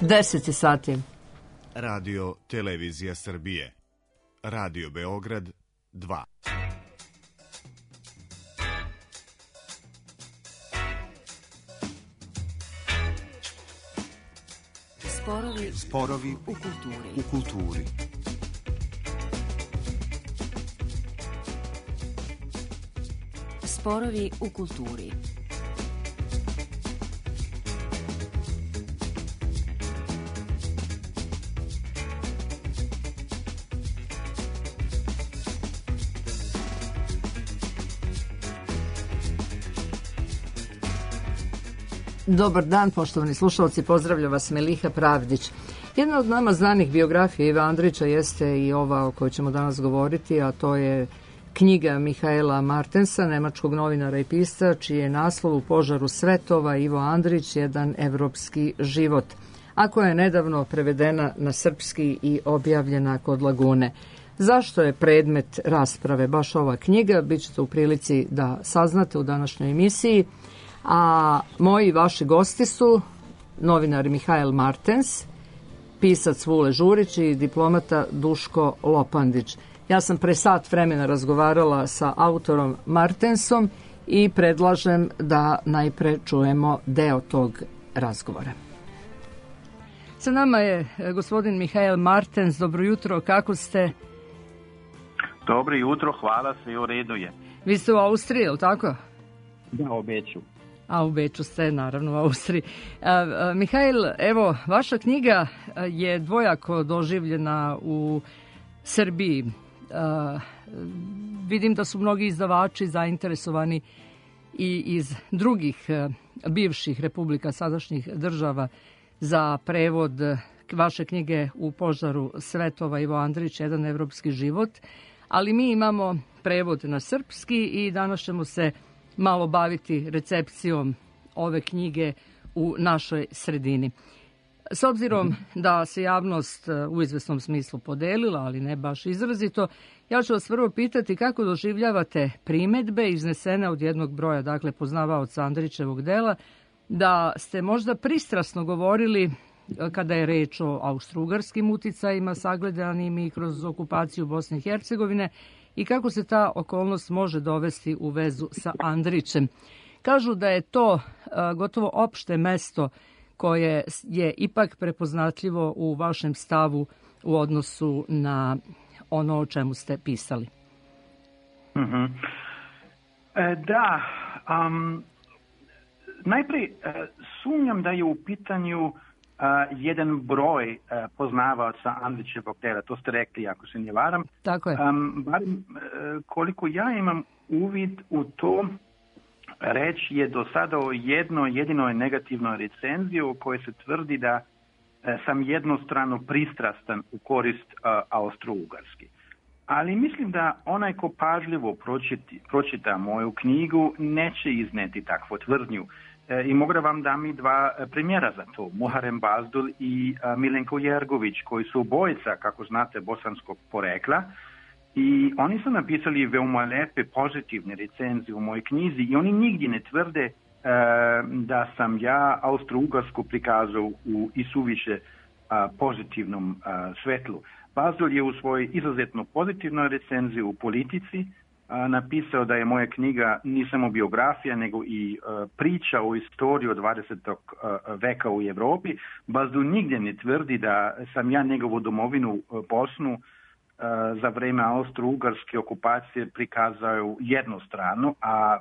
10 sati. Radio Televizija Srbije. Radio Beograd 2. Sporovi u kulturi. Sporovi u kulturi. Dobar dan, poštovani slušalci, pozdravlja vas Meliha Pravdić. Jedna od nama znanih biografija Ive Andrića jeste i ova o kojoj ćemo danas govoriti, a to je knjiga Mihaela Martensa, nemačkog novinara i pisca, čiji je naslov U požaru svetova Ivo Andrić, jedan evropski život, a koja je nedavno prevedena na srpski i objavljena kod Lagune. Zašto je predmet rasprave baš ova knjiga, bit ćete u prilici da saznate u današnjoj emisiji. A moji vaši gosti su novinar Mihael Martens, pisac Vule Žurić i diplomata Duško Lopandić. Ja sam pre sat vremena razgovarala sa autorom Martensom i predlažem da najpre čujemo deo tog razgovora. Sa nama je gospodin Mihael Martens. Dobro jutro, kako ste? Dobro jutro, hvala se i u redu je. Vi ste u Austriji, je li tako? Da, u Beču. A u Beču ste, naravno, u Austriji. Mihael, evo, vaša knjiga je dvojako doživljena u Srbiji. Vidim da su mnogi izdavači zainteresovani i iz drugih bivših republika, sadašnjih država, za prevod vaše knjige U požaru svetova Ivo Andrić, jedan evropski život. Ali mi imamo prevod na srpski i danas ćemo se malo baviti recepcijom ove knjige u našoj sredini. S obzirom da se javnost u izvesnom smislu podelila, ali ne baš izrazito, ja ću vas prvo pitati kako doživljavate primedbe iznesene od jednog broja, dakle poznavaoca Andrićevog dela, da ste možda pristrasno govorili kada je reč o austrougarskim uticajima sagledanim i kroz okupaciju Bosne i Hercegovine, i kako se ta okolnost može dovesti u vezu sa Andrićem. Kažu da je to gotovo opšte mesto koje je ipak prepoznatljivo u vašem stavu u odnosu na ono o čemu ste pisali. Da, najprije sumnjam da je u pitanju jedan broj poznavaoca Andrićevog dela, to ste rekli, ako se ne varam. Tako je. Barem koliko ja imam uvid u to, reč je do sada o jedinoj negativnoj recenziji u kojoj se tvrdi da sam jednostrano pristrastan u korist Austro-Ugarski. Ali mislim da onaj ko pažljivo pročita moju knjigu neće izneti takvu tvrdnju. I mogu da vam dam i dva primjera za to. Muharem Bazdul i Milenko Jergović, koji su obojica, kako znate, bosanskog porekla. I oni su napisali veoma lepe, pozitivne recenzije u mojoj knjizi i oni nigdje ne tvrde da sam ja Austro-Ugarsku prikazao u isuviše pozitivnom svetlu. Bazdul je u svojoj izuzetno pozitivnoj recenziji u Politici napisao da je moja knjiga nije samo biografija, nego i priča o istoriji od 20. veka u Evropi. Bazdul nigdje ne tvrdi da sam ja njegovu domovinu Bosnu za vreme austro-ugarske okupacije prikazao jednostrano, a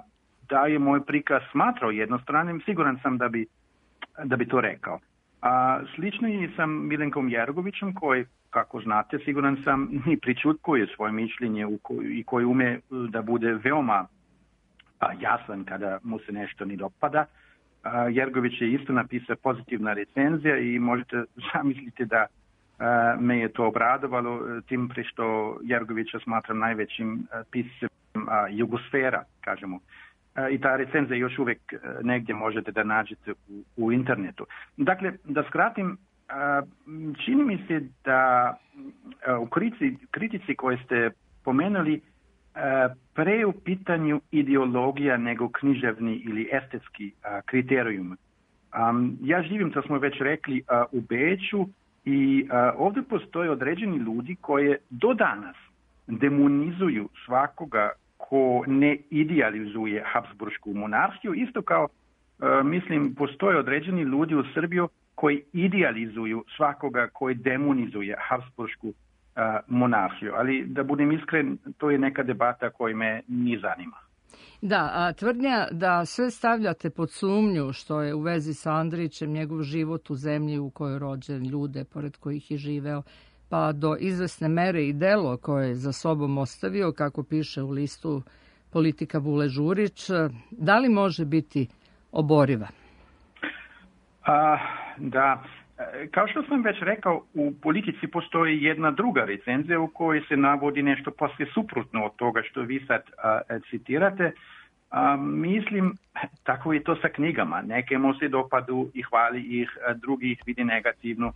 da je moj prikaz smatrao jednostranim, siguran sam da bi to rekao. Slično i sa Milenkom Jergovićem, koji, kako znate, siguran sam, i pričutkuje svoje mišljenje i koji ume da bude veoma jasan kada mu se nešto ne dopada. Jergović je isto napisao pozitivna recenzija i možete zamisliti da me je to obradovalo, tim pre što Jergovića smatram najvećim piscem jugosfera, kažemo. I ta recenzija još uvijek negdje možete da nađete u internetu. Dakle, da skratim, čini mi se da u kritici koje ste pomenuli pre u pitanju ideologija nego književni ili estetski kriterijum. Ja živim, to smo već rekli, u Beču i ovdje postoje određeni ljudi koji do danas demonizuju svakoga ko ne idealizuje Habsburšku monarhiju, isto kao, mislim, postoje određeni ljudi u Srbiji koji idealizuju svakoga koji demonizuje Habsburšku monarhiju. Ali da budem iskren, to je neka debata koja me ni zanima. Da, a tvrdnja da sve stavljate pod sumnju što je u vezi sa Andrićem, njegov život u zemlji u kojoj je rođen, ljude pored kojih je živeo, pa do izvesne mere i delo koje je za sobom ostavio, kako piše u listu politika Vule Đurić, da li može biti oboriva? Da, kao što sam već rekao, u politici postoji jedna druga recenzija u kojoj se navodi nešto posve suprotno od toga što vi sad citirate. Mislim, tako je to sa knjigama. Neke mu se dopadu i hvali ih, drugi ih vidi negativno.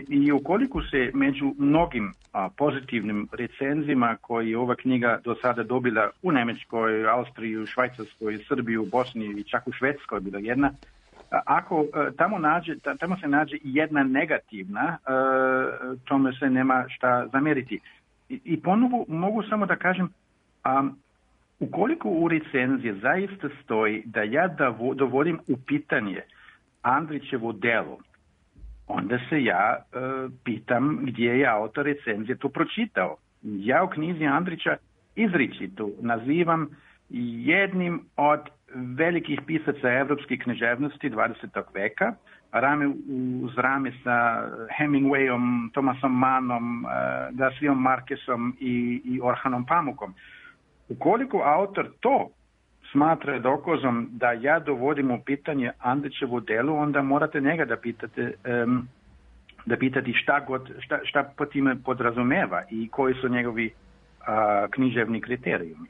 I ukoliko se među mnogim pozitivnim recenzijama koji je ova knjiga do sada dobila u Njemačkoj, Austriji, Švajcarskoj, Srbiji, u Bosni i čak u Švedskoj bila jedna, ako tamo se nađe jedna negativna, tome se nema šta zamjeriti. I ponovo mogu samo da kažem, ukoliko u recenziji zaista stoji da ja dovodim u pitanje Andrićevo delo, onda se ja pitam gdje je autor recenzije to pročitao. Ja u knjizi Andrića izričito nazivam jednim od velikih pisaca evropske književnosti 20. veka, rame uz rame sa Hemingwayom, Thomasom Mannom, Garcijom Marquezom i Orhanom Pamukom. Ukoliko autor to smatra dokazom da ja dovodim u pitanje Andrićevo delo, onda morate njega da pitati šta po time podrazumeva i koji su njegovi književni kriterijumi.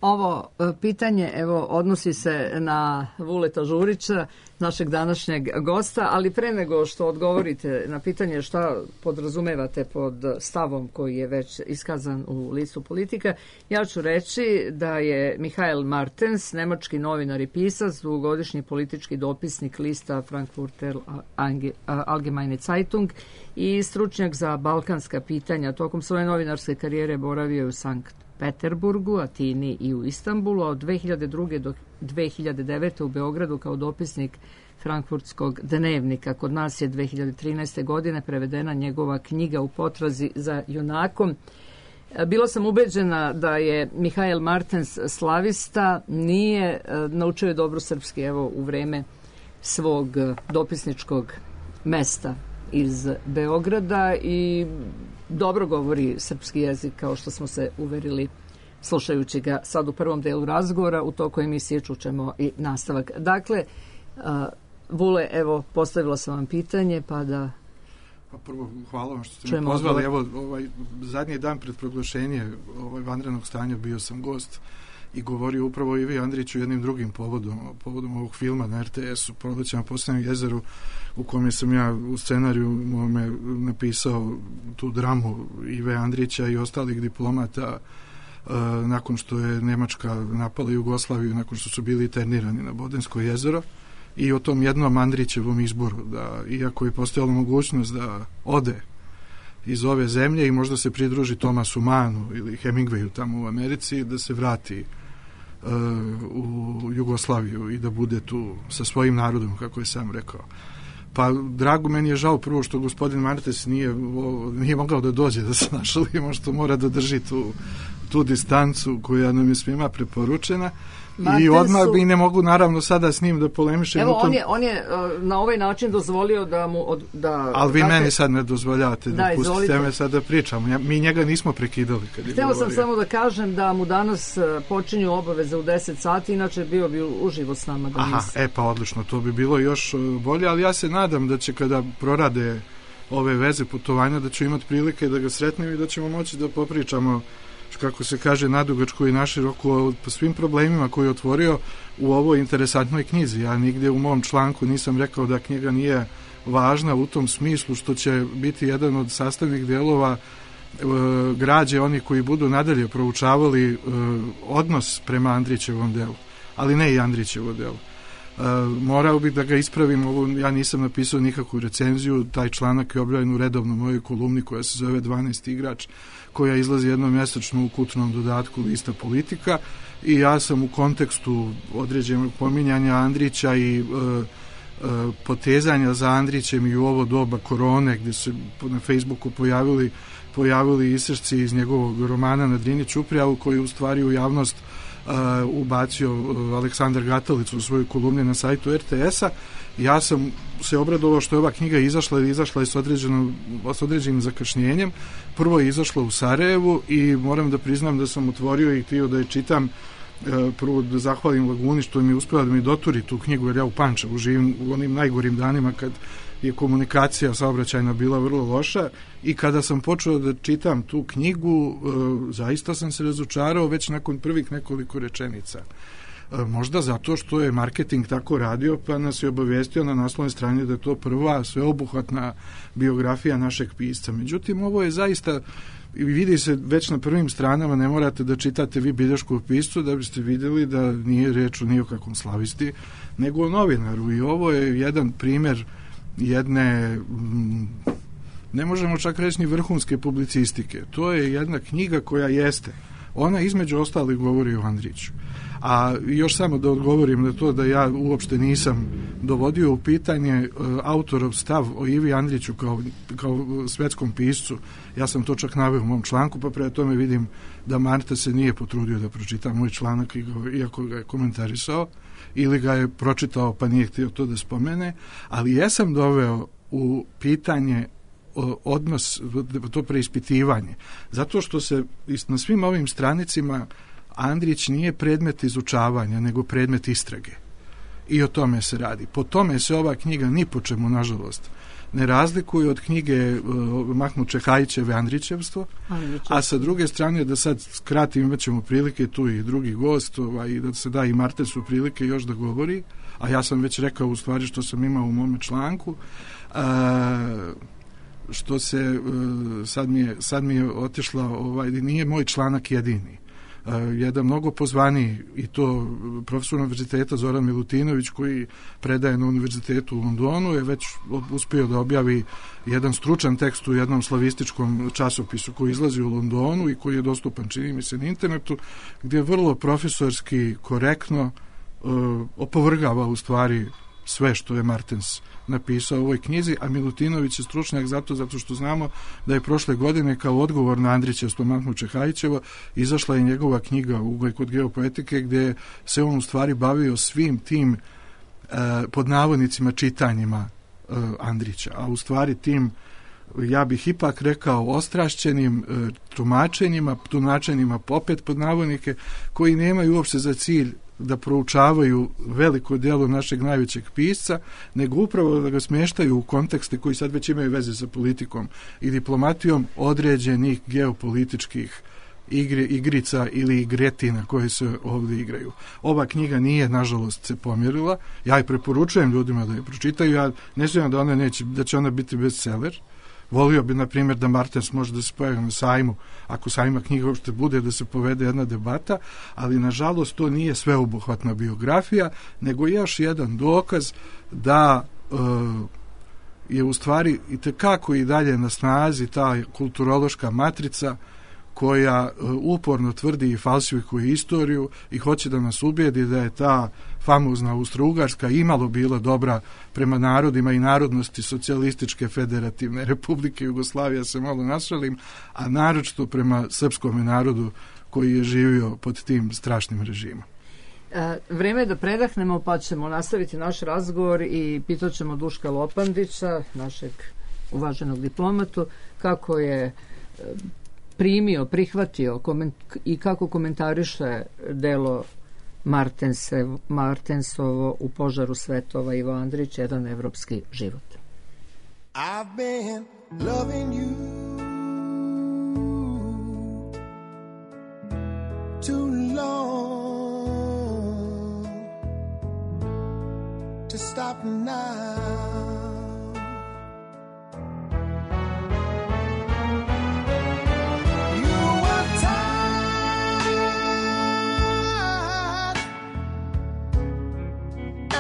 Ovo pitanje odnosi se na Vuleta Đurića, našeg današnjeg gosta, ali pre nego što odgovorite na pitanje šta podrazumevate pod stavom koji je već iskazan u listu politika, ja ću reći da je Michael Martens, nemački novinar i pisac, dugogodišnji politički dopisnik lista Frankfurter Allgemeine Zeitung i stručnjak za balkanska pitanja. Tokom svoje novinarske karijere boravio je u Sankt Peterburgu, Atini i u Istanbulu, a od 2002. do 2009. u Beogradu kao dopisnik Frankfurtskog dnevnika. Kod nas je 2013. godine prevedena njegova knjiga U potrazi za junakom. Bila sam ubeđena da je Michael Martens slavista, nije, naučio je dobro srpski u vreme svog dopisničkog mesta iz Beograda i dobro govori srpski jezik, kao što smo se uverili slušajući ga sad u prvom delu razgovora. U toku emisije čućemo i nastavak. Dakle, Vule, postavila sam vam pitanje, pa da... Pa prvo, hvala vam što ste me pozvali. Zadnji dan pred proglašenje vanrednog stanja bio sam gost i govorio upravo Ivi Andriću jednim drugim povodom ovog filma na RTS-u, Proleće na Poslednjem jezeru, u kome sam ja u scenariju mome napisao tu dramu Ive Andrića i ostalih diplomata nakon što je Nemačka napala Jugoslaviju, nakon što su bili internirani na Bodensko jezero, i o tom jednom Andrićevom izboru, da iako je postojala mogućnost da ode iz ove zemlje i možda se pridruži Thomasu Mannu ili Hemingwayu tamo u Americi, da se vrati u Jugoslaviju i da bude tu sa svojim narodom, kako je sam rekao. Pa drago, meni je žao prvo što gospodin Martens nije mogao da dođe, da se našalimo, što mora da drži tu distancu koja nam je svima preporučena. I odmah bi ne mogu naravno sada s njim da polemišem. Evo, on je na ovaj način dozvolio da mu... Ali vi meni sad ne dozvoljate da pustite me sad da pričam. Mi njega nismo prekidali kad je govorio. Hteo sam samo da kažem da mu danas počinju obaveze u 10 sati, inače bio bi uživo s nama. Pa odlično, to bi bilo još bolje, ali ja se nadam da će kada prorade ove veze putovanja, da ću imati prilike da ga sretnem i da ćemo moći da popričamo, kako se kaže, nadugačko i naširoko o svim problemima koje je otvorio u ovoj interesantnoj knjizi. Ja nigdje u mom članku nisam rekao da knjiga nije važna u tom smislu što će biti jedan od sastavnih dijelova građe oni koji budu nadalje proučavali odnos prema Andrićevom delu, ali ne i Andrićevo delo. Morao bih da ga ispravim, ja nisam napisao nikakvu recenziju, taj članak je objavljen u redovno mojoj kolumni koja se zove 12 igrač, koja izlazi jednom mjesečno u kućnom dodatku lista Politika, i ja sam u kontekstu određenog pominjanja Andrića i potezanja za Andrićem i u ovo doba korone, gdje se na Facebooku pojavili isječci iz njegovog romana Na Drini Ćuprija, koji u stvari u javnost ubacio Aleksandar Gatalić u svojoj kolumni na sajtu RTS-a. Ja sam se obradovao što je ova knjiga izašla je s određenim zakašnjenjem. Prvo je izašla u Sarajevu i moram da priznam da sam otvorio i htio da je čitam. Prvo da zahvalim Laguni što mi je uspjela da mi doturi tu knjigu, jer ja u Pančevu živim u onim najgorim danima kad je komunikacija saobraćajna bila vrlo loša, i kada sam počeo da čitam tu knjigu zaista sam se razočarao već nakon prvih nekoliko rečenica. Možda zato što je marketing tako radio, pa nas je obavijestio na naslovnoj strani da je to prva sveobuhvatna biografija našeg pisca. Međutim, ovo je zaista, vidi se već na prvim stranama, ne morate da čitate vi bilješkog piscu da biste vidjeli da nije reč o nikakvom slavisti, nego o novinaru, i ovo je jedan primjer jedne, ne možemo čak reći ni vrhunske publicistike. To je jedna knjiga koja jeste, ona između ostalih govori o Andriću. A još samo da odgovorim na to da ja uopšte nisam dovodio u pitanje autorov stav o Ivi Andriću kao svetskom piscu. Ja sam to čak naveo u mom članku, pa prema tome vidim da Marta se nije potrudio da pročita moj članak, iako ga je komentarisao, ili ga je pročitao pa nije htio to da spomene, ali jesam doveo u pitanje odnos, to preispitivanje, zato što se na svim ovim stranicima Andrić nije predmet izučavanja, nego predmet istrage. I o tome se radi. Po tome se ova knjiga ni po čemu, nažalost, ne razlikuje od knjige Mahmud Čehajićeve Andrićevstvo, a sa druge strane, da sad skratim, imat ćemo prilike tu i drugi gost, i da se da i Martensu prilike još da govori, a ja sam već rekao u stvari što sam imao u mome članku, što se sad mi je otišla, nije moj članak jedini. Jedan mnogo pozvaniji, i to profesor univerziteta Zoran Milutinović, koji predaje na univerzitetu u Londonu, je već uspio da objavi jedan stručan tekst u jednom slavističkom časopisu koji izlazi u Londonu i koji je dostupan, čini mi se, na internetu, gdje vrlo profesorski korektno opovrgava u stvari sve što je Martens napisao u ovoj knjizi, a Milutinović je stručnjak zato što znamo da je prošle godine kao odgovor na Andrićevstvo Mahmud Čehajićevo izašla je njegova knjiga Ugled kod geopoetike, gdje se on u stvari bavio svim tim pod navodnicima čitanjima Andrića, a u stvari tim, ja bih ipak rekao, ostrašćenim tumačenjima popet pod navodnike, koji nemaju uopšte za cilj da proučavaju veliko djelo našeg najvećeg pisca, nego upravo da ga smještaju u kontekste koji sad već imaju veze sa politikom i diplomatijom određenih geopolitičkih igrica ili igretina koje se ovdje igraju. Ova knjiga nije, nažalost, se pomjerila. Ja je preporučujem ljudima da je pročitaju. Ja ne znam da će ona biti bestseller. Volio bi, na primjer, da Martens može da se pojavi na sajmu, ako sajma knjiga uopšte bude, da se povede jedna debata, ali nažalost to nije sveobuhvatna biografija, nego još jedan dokaz da je u stvari itekako i dalje na snazi ta kulturološka matrica koja uporno tvrdi i falsifikuje istoriju i hoće da nas ubijedi da je ta famozna Austro-Ugarska imalo bila dobra prema narodima i narodnosti Socijalističke federativne republike Jugoslavije, se malo nasralim, a naročito prema srpskom narodu koji je živio pod tim strašnim režimom. Vreme je da predahnemo, pa ćemo nastaviti naš razgovor i pitat ćemo Duška Lopandića, našeg uvaženog diplomatu, kako je prihvatio i kako komentariše delo Martensovo U požaru svetova Ivo Andrić, jedan evropski život. I've been loving you too long to stop now.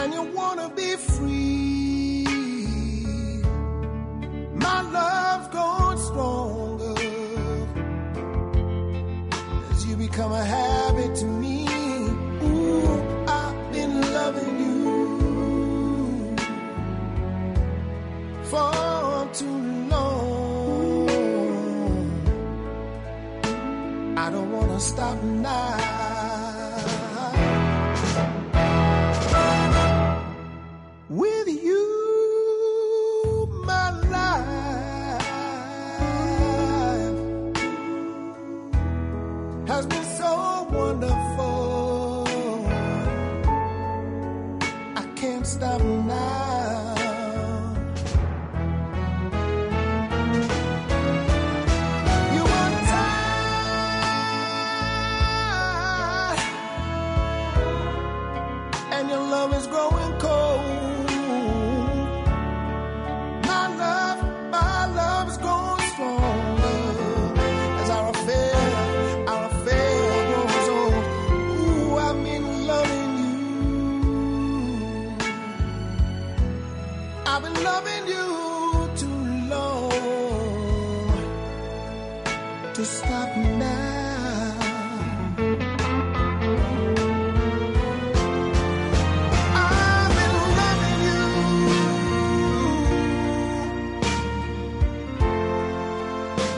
And you become a habit to me. Ooh, I've been loving you for too long. I don't wanna stop now. With you, my life has been so wonderful. I can't stop now. You are tired, and your love is growing cold. My love is growing stronger as our affair grows old. Ooh, I've been loving you. I've been loving you too long to stop now.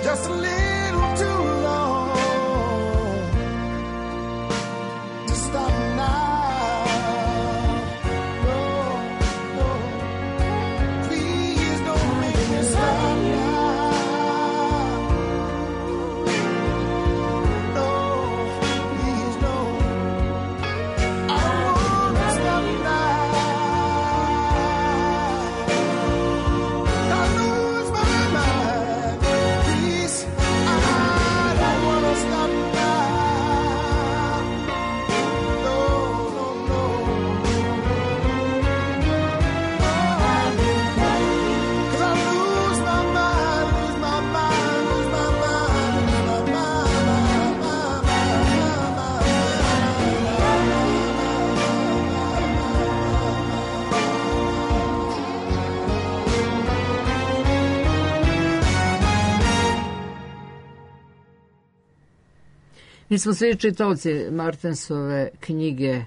Just a little too long to stop now. No, no, please don't make me stop now. No, please no, I don't wanna stop now. I lose my mind. Please, I don't wanna stop now. No, no, no. Cause I lose my mind, lose my mind, lose my mind, lose my Mi smo svi čitaoci Martensove knjige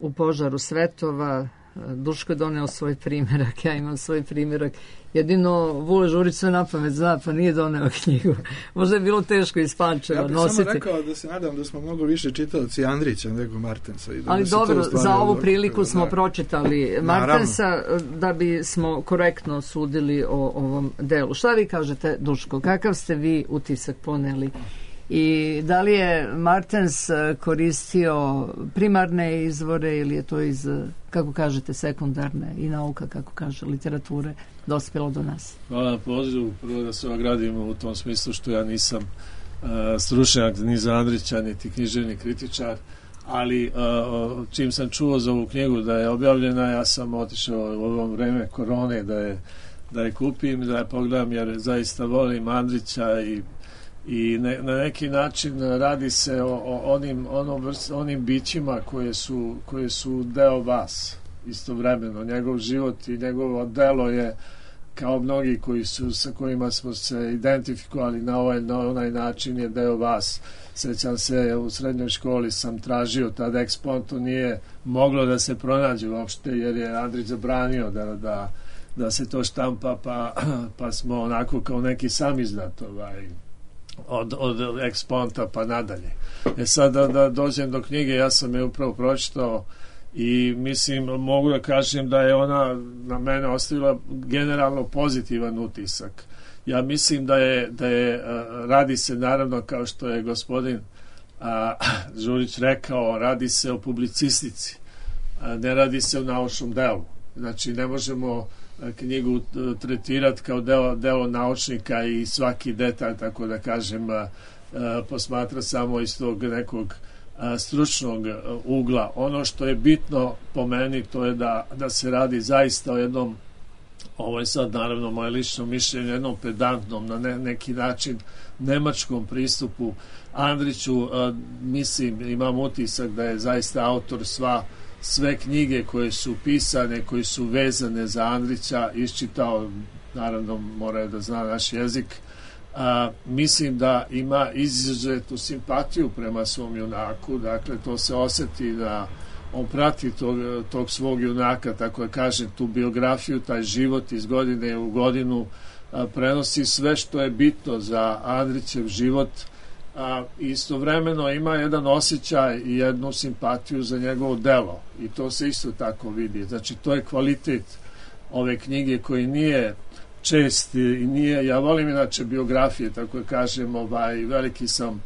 U požaru svetova. Duško je doneo svoj primjerak, ja imam svoj primjerak. Jedino Vule Žurić sve na pamet zna, pa nije doneo knjigu. Možda je bilo teško iz Pančeva nositi. Ja bih samo rekao da se nadam da smo mnogo više čitaoci Andrića nego Martensa. I da ali dobro, za ovu priliku smo da pročitali Martensa da bi smo korektno sudili o ovom delu. Šta vi kažete, Duško? Kakav ste vi utisak poneli? I da li je Martens koristio primarne izvore ili je to iz, kako kažete, sekundarne i nauka, kako kaže, literature dospjelo do nas? Hvala na pozivu. Prvo da se ogradimo u tom smislu što ja nisam stručnjak ni za Andrića, niti književni kritičar, ali čim sam čuo za ovu knjigu da je objavljena, ja sam otišao u ovom vreme korone da je kupim, da je pogledam, jer zaista volim Andrića i na neki način radi se o onim bićima koje su deo vas istovremeno. Njegov život i njegovo delo je kao mnogi sa kojima smo se identifikovali na onaj način je deo vas. Sećam se, u srednjoj školi sam tražio tada ekspont, to nije moglo da se pronađe uopšte jer je Andrić zabranio da se to štampa, pa smo onako kao neki samizdat od eksponta pa nadalje. Sad da dođem do knjige, ja sam je upravo pročitao i mislim, mogu da kažem da je ona na mene ostavila generalno pozitivan utisak. Ja mislim da je radi se naravno, kao što je gospodin Žurić rekao, radi se o publicistici, ne radi se o naučnom delu. Znači ne možemo knjigu tretirati kao delo naučnika i svaki detalj, tako da kažem, posmatra samo iz tog nekog stručnog ugla. Ono što je bitno po meni, to je da se radi zaista o jednom, ovo je sad naravno moje lično mišljenje, jednom pedantnom, na neki način nemačkom pristupu Andriću. Mislim, imam utisak da je zaista autor sve knjige koje su pisane, koje su vezane za Andrića iščitao, naravno mora da zna naš jezik, mislim da ima izuzetnu simpatiju prema svom junaku, dakle to se osjeti da on prati tog svog junaka, tako da kažem, tu biografiju, taj život iz godine u godinu, prenosi sve što je bitno za Andrićev život, istovremeno ima jedan osjećaj i jednu simpatiju za njegovo delo i to se isto tako vidi. Znači to je kvalitet ove knjige koji nije čest i nije, ja volim inače biografije, tako da kažem, veliki sam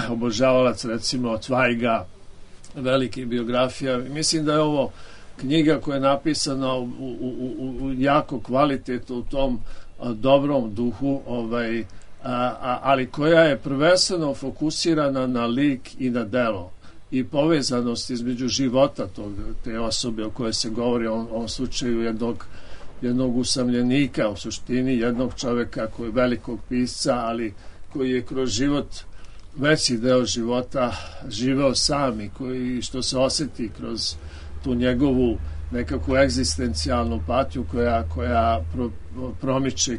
obožavalac recimo Zweiga, velike biografija. Mislim da je ovo knjiga koja je napisana u jako kvalitetu, u tom dobrom duhu, ali koja je prvenstveno fokusirana na lik i na delo i povezanost između života te osobe o kojoj se govori, o ovom slučaju jednog usamljenika, u suštini jednog čoveka koji je velikog pisca, ali koji je kroz život, veći deo života živeo sam i koji, što se osjeti kroz tu njegovu nekakvu egzistencijalnu patnju koja promiče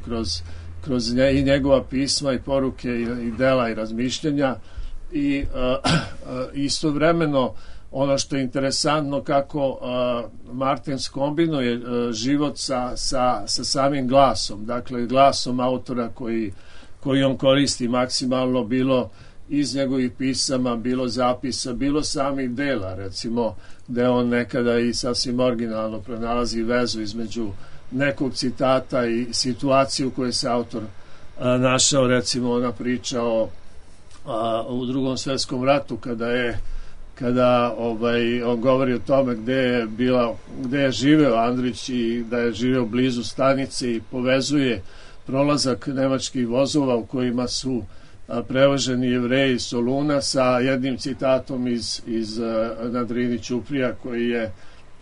kroz i njegova pisma i poruke i dela i razmišljenja i istovremeno ono što je interesantno kako Martens kombinuje život sa samim glasom, dakle glasom autora koji on koristi maksimalno, bilo iz njegovih pisama, bilo zapisa, bilo samih dela, recimo gde on nekada i sasvim originalno pronalazi vezu između nekog citata i situaciju u kojoj se autor našao, recimo ona priča u Drugom svjetskom ratu kada on govori o tome gde je živeo Andrić i da je živeo blizu stanice i povezuje prolazak nemačkih vozova u kojima su prevoženi Jevreji iz Soluna sa jednim citatom iz na Drini Ćuprija koji je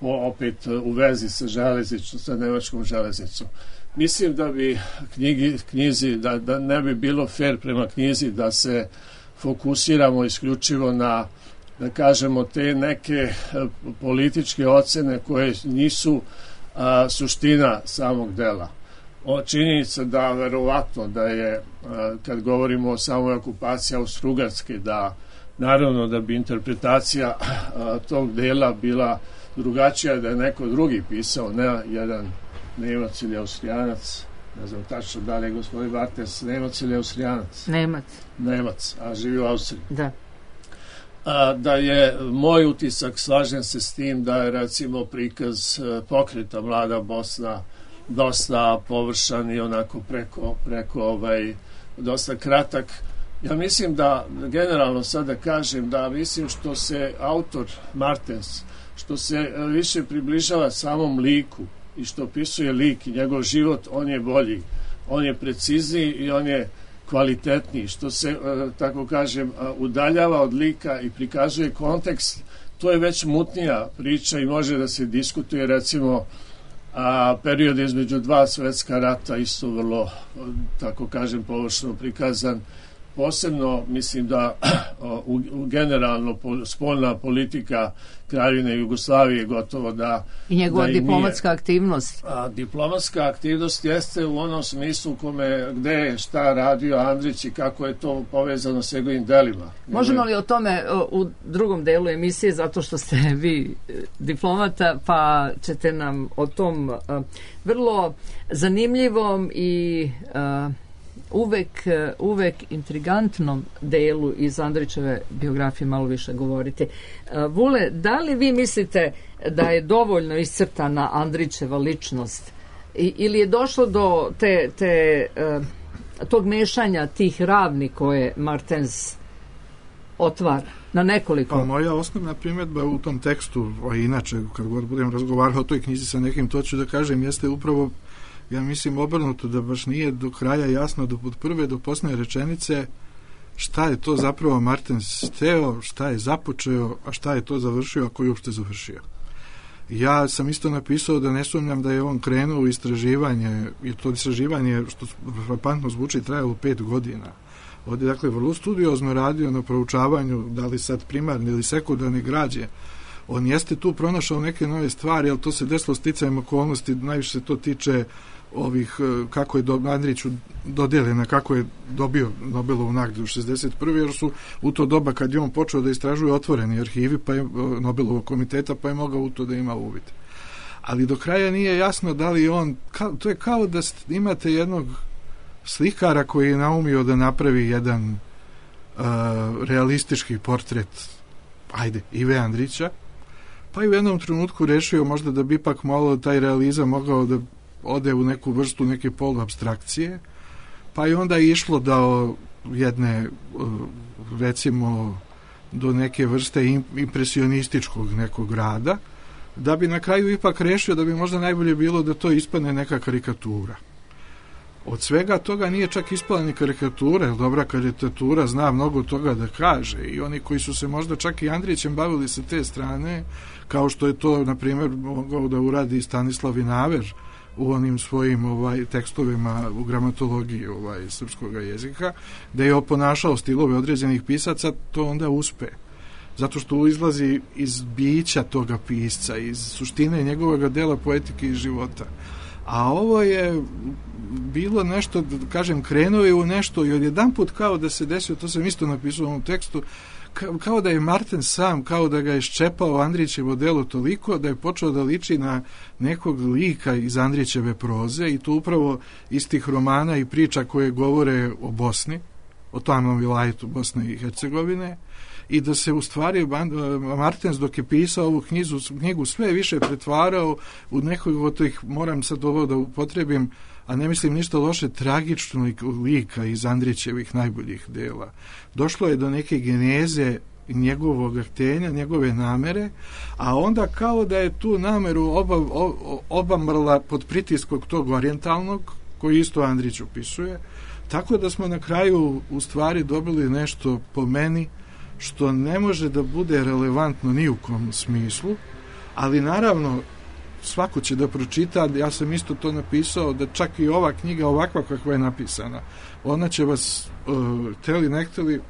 opet u vezi sa nemačkom železnicom. Mislim da bi knjizi, da ne bi bilo fair prema knjizi da se fokusiramo isključivo na, da kažemo, te neke političke ocene koje nisu suština samog dela. Činjenica da verovatno da je, kad govorimo o samoj okupaciji Austro-Ugarske, da naravno da bi interpretacija tog dela bila drugačija, da je neko drugi pisao, ne jedan Nemac ili Austrijanac, ne znam tačno da li je gospodin Bartels Nemac ili Austrijanac. Nemac, a živi u Austriji. Da. Da je moj utisak, slažem se s tim, da je recimo prikaz pokreta Mlada Bosna dosta površan i onako preko dosta kratak. Ja mislim da generalno sada kažem da mislim što se autor Martens, što se više približava samom liku i što opisuje lik i njegov život, on je bolji, on je precizniji i on je kvalitetniji, što se, tako kažem, udaljava od lika i prikazuje kontekst, to je već mutnija priča i može da se diskutuje, recimo, period između dva svjetska rata isto vrlo, tako kažem, površno prikazan. Posebno mislim da generalno spoljna politika Kraljevine Jugoslavije gotovo da... I njegova diplomatska aktivnost. Diplomatska aktivnost jeste u onom smislu gde je šta radio Andrić i kako je to povezano s njegovim delima. Možemo li o tome u drugom delu emisije, zato što ste vi diplomata, pa ćete nam o tom vrlo zanimljivom i... uvek intrigantnom delu iz Andrićeve biografije malo više govoriti. Vule, da li vi mislite da je dovoljno iscrtana Andrićeva ličnost ili je došlo do tog mešanja tih ravni koje Martens otvara na nekoliko? Pa moja osnovna primjedba u tom tekstu, a inače kad god budem razgovarao o toj knjizi sa nekim, to ću da kažem, jeste upravo, ja mislim, obrnuto, da baš nije do kraja jasno od prve do posljednje rečenice šta je to zapravo Martens hteo, šta je započeo, a šta je to završio, ako je uopšte završio. Ja sam isto napisao da ne sumnjam da je on krenuo u istraživanje, i to istraživanje, što frapantno zvuči, trajalo 5 godina. Ovdje, dakle, vrlo studiozno radio na proučavanju, da li sad primarne ili sekundarne građe. On jeste tu pronašao neke nove stvari, ali to se desilo sticajem okolnosti, najviše se to tiče ovih, kako je Andriću dodeljena, kako je dobio Nobelovu nagradu 61. jer su u to doba kad je on počeo da istražuje otvoreni arhivi pa je Nobelovog komiteta, pa je mogao u to da ima uvid. Ali do kraja nije jasno da li on, to je kao da imate jednog slikara koji je naumio da napravi jedan realistički portret Ive Andrića, pa je u jednom trenutku rešio možda da bi ipak malo taj realizam mogao da ode u neku vrstu neke poluapstrakcije, pa je onda išlo do jedne, recimo, do neke vrste impresionističkog nekog rada, da bi na kraju ipak rešio da bi možda najbolje bilo da to ispadne neka karikatura. Od svega toga nije čak ispala ni karikatura, jer dobra karikatura zna mnogo toga da kaže i oni koji su se možda čak i Andrićem bavili sa te strane, kao što je to, na primjer, mogao da uradi Stanislav Vinaver u onim svojim tekstovima u gramatologiji srpskog jezika, da je oponašao stilove određenih pisaca, to onda uspe. Zato što izlazi iz bića toga pisca, iz suštine njegovog dela poetike i života. A ovo je bilo nešto, kažem, krenuo je u nešto i odjedanput kao da se desio, to sam isto napisao u ovom tekstu, kao da je Marten sam, kao da ga je ščepao Andrićevo delo toliko da je počeo da liči na nekog lika iz Andrićeve proze i to upravo iz tih romana i priča koje govore o Bosni, o tamnom vilajetu Bosne i Hercegovine, i da se u stvari Martens dok je pisao ovu knjigu sve više pretvarao u nekog od tih, moram sad ovo da upotrebim, a ne mislim ništa loše, tragičnog lika iz Andrićevih najboljih dela. Došlo je do neke geneze njegovog htenja, njegove namere, a onda kao da je tu nameru obamrla pod pritiskom tog orijentalnog, koji isto Andrić opisuje, tako da smo na kraju u stvari dobili nešto po meni što ne može da bude relevantno ni u kom smislu, ali naravno svako će da pročita, ja sam isto to napisao, da čak i ova knjiga ovakva kakva je napisana, ona će vas hteli ne hteli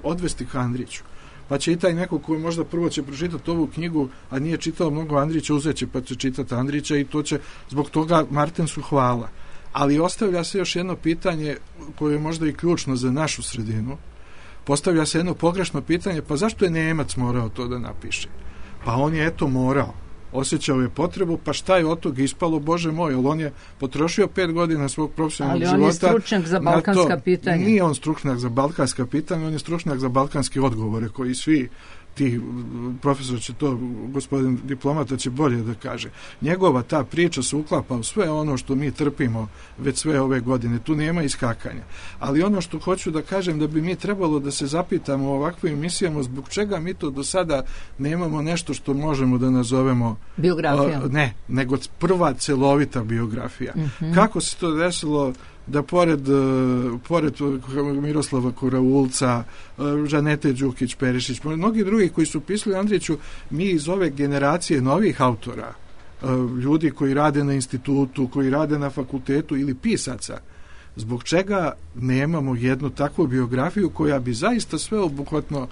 odvesti ka Andriću. Pa će i taj neko koji možda prvo će pročitati ovu knjigu, a nije čitao mnogo Andrića, uzeće pa će čitati Andrića i to će zbog toga Martensu hvala. Ali ostavlja se još jedno pitanje koje je možda i ključno za našu sredinu. Postavlja se jedno pogrešno pitanje, pa zašto je Nemac morao to da napiše? Pa on je eto morao. Osjećao je potrebu, pa šta je od toga ispalo, Bože moj, ali on je potrošio 5 godina svog profesionalnog života. Ali on je stručnjak za balkanska pitanja. Nije on stručnjak za balkanska pitanja, on je stručnjak za balkanske odgovore, koji svi ti, profesor će to, gospodin diplomata će bolje da kaže. Njegova ta priča se uklapa u sve ono što mi trpimo već sve ove godine. Tu nema iskakanja. Ali ono što hoću da kažem, da bi mi trebalo da se zapitamo u ovakvim emisijama, zbog čega mi to do sada nemamo nešto što možemo da nazovemo biografija. Ne, nego prva celovita biografija. Kako se to desilo da pored Miroslava Koraulca, Žanete Đukić-Perišić, mnogi drugi koji su pisali Andriću, mi iz ove generacije novih autora, ljudi koji rade na institutu, koji rade na fakultetu ili pisaca, zbog čega nemamo jednu takvu biografiju koja bi zaista sveobuhvatno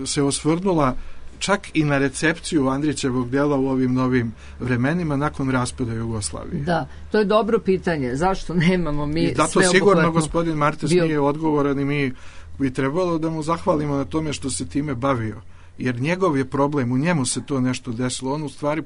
se osvrnula čak i na recepciju Andrićevog dela u ovim novim vremenima nakon raspada Jugoslavije. Da, to je dobro pitanje. Zašto nemamo mi sveobuhvatno? I zato sigurno gospodin Martes nije odgovoran i mi bi trebalo da mu zahvalimo na tome što se time bavio. Jer njegov je problem, u njemu se to nešto desilo. On u stvari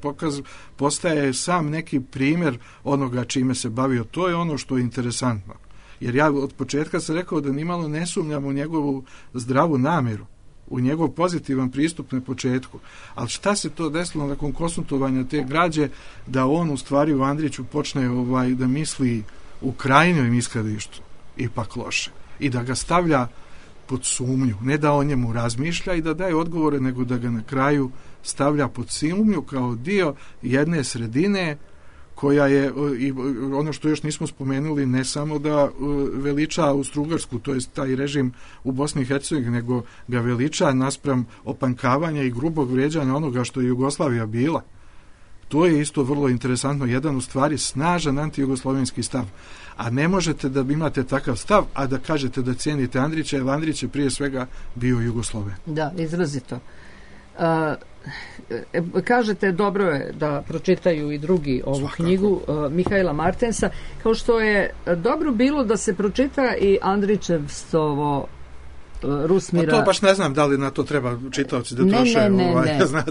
postaje sam neki primjer onoga čime se bavio. To je ono što je interesantno. Jer ja od početka sam rekao da nimalo ne sumnjam u njegovu zdravu namjeru, u njegov pozitivan pristup na početku. Ali šta se to desilo nakon konsultovanja te građe, da on u stvari u Andriću počne da misli u krajnjem ishodištu ipak loše i da ga stavlja pod sumnju, ne da o njemu razmišlja i da daje odgovore, nego da ga na kraju stavlja pod sumnju kao dio jedne sredine koja je, i ono što još nismo spomenuli, ne samo da veliča Austro-Ugarsku, to je taj režim u Bosni i Hercegovini, nego ga veliča naspram opankavanja i grubog vrijeđanja onoga što je Jugoslavija bila. To je isto vrlo interesantno, jedan u stvari snažan antijugoslovenski stav. A ne možete da imate takav stav, a da kažete da cijenite Andrića, jer Andrić je prije svega bio Jugosloven. Da, izrazito. Kažete, dobro je da pročitaju i drugi ovu knjigu Mihaela Martensa, kao što je dobro bilo da se pročita i Andrićevstovo Rusmira. A to baš ne znam da li na to treba čitaoci da troše. Ne.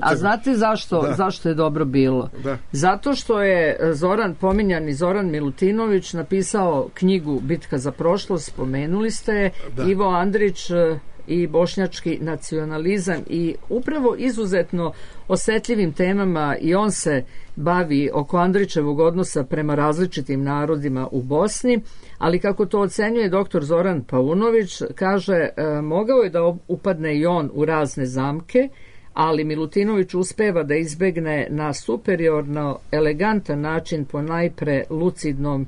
A znate zašto je dobro bilo? Da. Zato što je pominjani Zoran Milutinović napisao knjigu Bitka za prošlost, spomenuli ste, Ivo Andrić i bošnjački nacionalizam, i upravo izuzetno osetljivim temama i on se bavi oko Andrićevog odnosa prema različitim narodima u Bosni, ali kako to ocenjuje dr. Zoran Paunović, kaže, mogao je da upadne i on u razne zamke, ali Milutinović uspeva da izbegne na superiorno elegantan način, po najpre lucidnom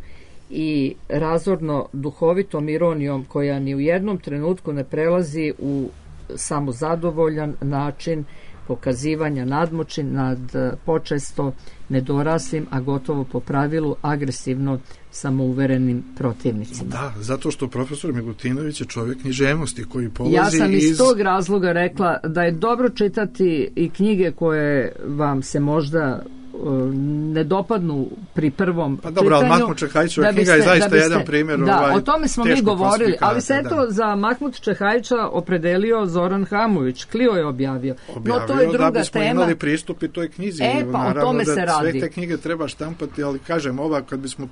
i razorno duhovitom ironijom koja ni u jednom trenutku ne prelazi u samozadovoljan način pokazivanja nadmoći nad počesto nedoraslim, a gotovo po pravilu agresivno samouverenim protivnicima. Da, zato što profesor Milutinović je čovjek književnosti koji polazi Ja sam iz tog razloga rekla da je dobro čitati i knjige koje vam se možda ne dopadnu pri prvom čitanju. Pa dobro, ali Mahmud Čehajićeva knjiga je zaista jedan primjer. Da, o tome smo mi govorili, ali se eto za Mahmud Čehajića opredelio Zoran Hamović, Klio je objavio. No to je druga da bismo tema. Imali pristup i toj knjizi. Pa o tome se radi. Sve te knjige treba štampati, ali kažem, ako bismo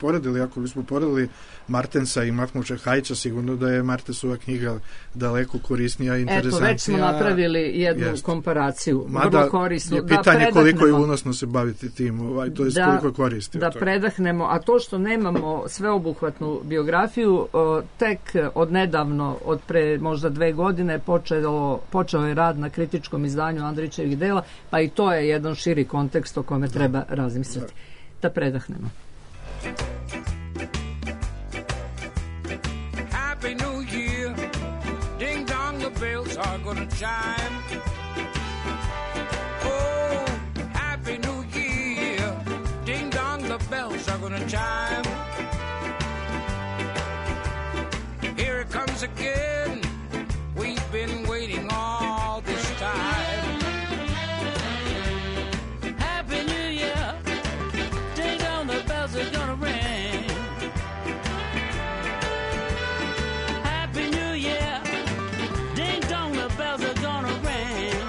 poredili Martensa i Mahmud Čehajića, sigurno da je Martensova knjiga daleko korisnija i interesantnija. Eto, već smo napravili jednu komparaciju. Mada korisnu. Je pitanje koliko je unosno se baviti tim, to je koliko je koristi. Da predahnemo, a to što nemamo sveobuhvatnu biografiju, tek od nedavno, od pre možda 2 godine, počeo je rad na kritičkom izdanju Andrićevih dela, pa i to je jedan širi kontekst o kome treba razmisliti. Da predahnemo. Happy New Year, ding dong, the bells are gonna chime. Oh, Happy New Year, ding dong, the bells are gonna chime. Here it comes again, we've been waiting all this time. Happy New Year, ding dong, the bells are gonna ring. Happy New Year, ding dong, the bells are gonna ring.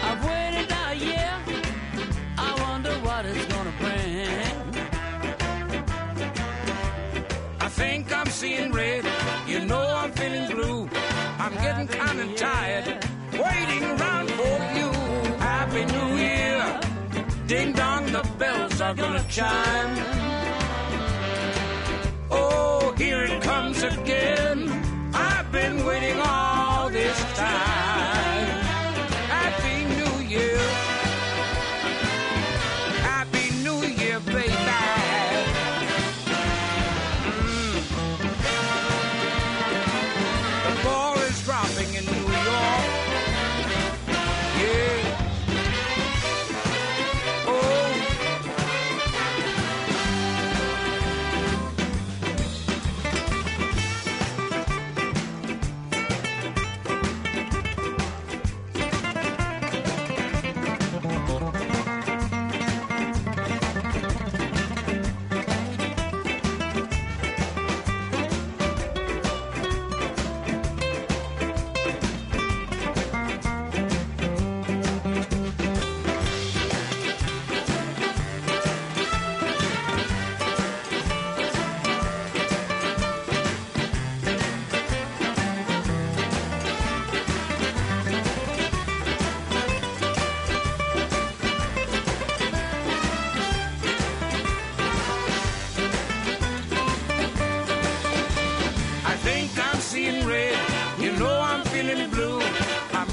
I've waited a year, I wonder what it's gonna bring. I think I'm seeing red, you know I'm feeling blue. I'm getting kind of tired, waiting around for you. Happy New Year, ding dong, the bells are gonna chime. Oh, here it comes again, I've been waiting all this time. Happy New Year, Happy New Year, baby. The ball is dropping in New York. Yeah. Oh.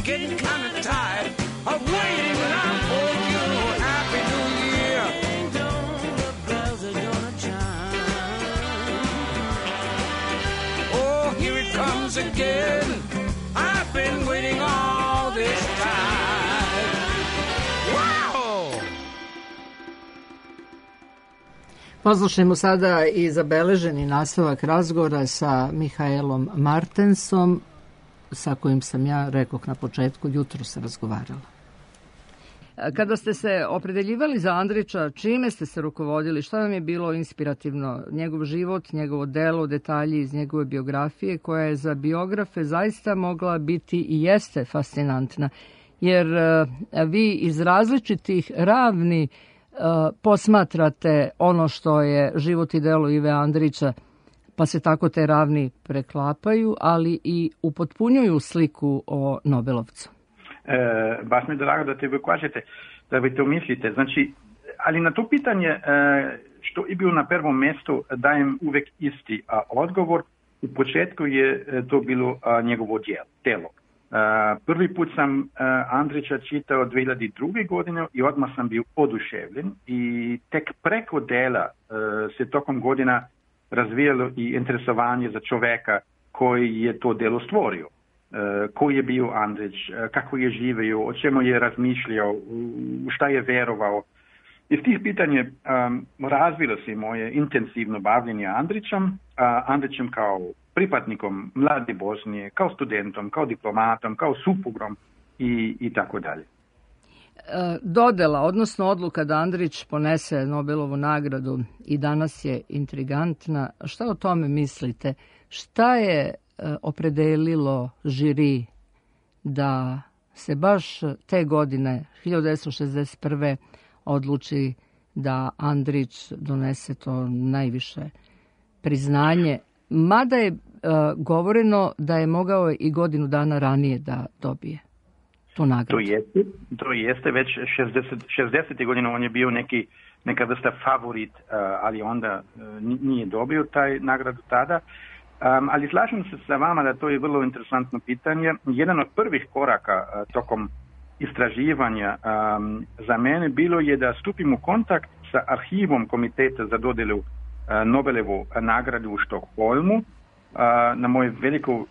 Getting kind of tired of waiting around for you. Happy New Year. Ding dong, the bells are gonna chime. Oh, here it comes again. I've been waiting all this time. Wow! Poslušajmo sada i zabeleženi nastavak razgovora sa Mihaelom Martensom, sa kojim sam ja, rekoh na početku, jutros razgovarala. Kada ste se opredeljivali za Andrića, čime ste se rukovodili? Šta vam je bilo inspirativno? Njegov život, njegovo delo, detalji iz njegove biografije, koja je za biografe zaista mogla biti i jeste fascinantna. Jer vi iz različitih ravni posmatrate ono što je život i delo Ive Andrića, pa se tako te ravni preklapaju, ali i upotpunjuju sliku o Nobelovcu. Baš mi je drago da te vi kažete, da vi to mislite. Znači, ali na to pitanje što je bilo na prvom mjestu dajem uvijek isti odgovor. U početku je to bilo njegovo djelo. Prvi put sam Andrića čitao 2002. godine i odmah sam bio oduševljen i tek preko dela se tokom godina razvijalo i interesovanje za čoveka koji je to delo stvorio. Koji je bio Andrić, kako je živio, o čemu je razmišljao, u šta je verovao. Iz tih pitanja razvilo se moje intenzivno bavljenje Andrićem kao pripadnikom mlade Bosnije, kao studentom, kao diplomatom, kao suprugom i tako dalje. Dodela, odnosno odluka da Andrić ponese Nobelovu nagradu i danas je intrigantna. Šta o tome mislite? Šta je opredelilo žiri da se baš te godine, 1961. odluči da Andrić donese to najviše priznanje, mada je govoreno da je mogao i godinu dana ranije da dobije tu nagradu. To jeste već 60. godine on je bio neka vrsta favorit, ali onda nije dobio taj nagradu tada. Ali slažem se sa vama da to je vrlo interesantno pitanje. Jedan od prvih koraka tokom istraživanja za mene bilo je da stupim u kontakt sa arhivom Komiteta za dodjelu Nobelovu nagradu u Štokholmu. Na moje veliko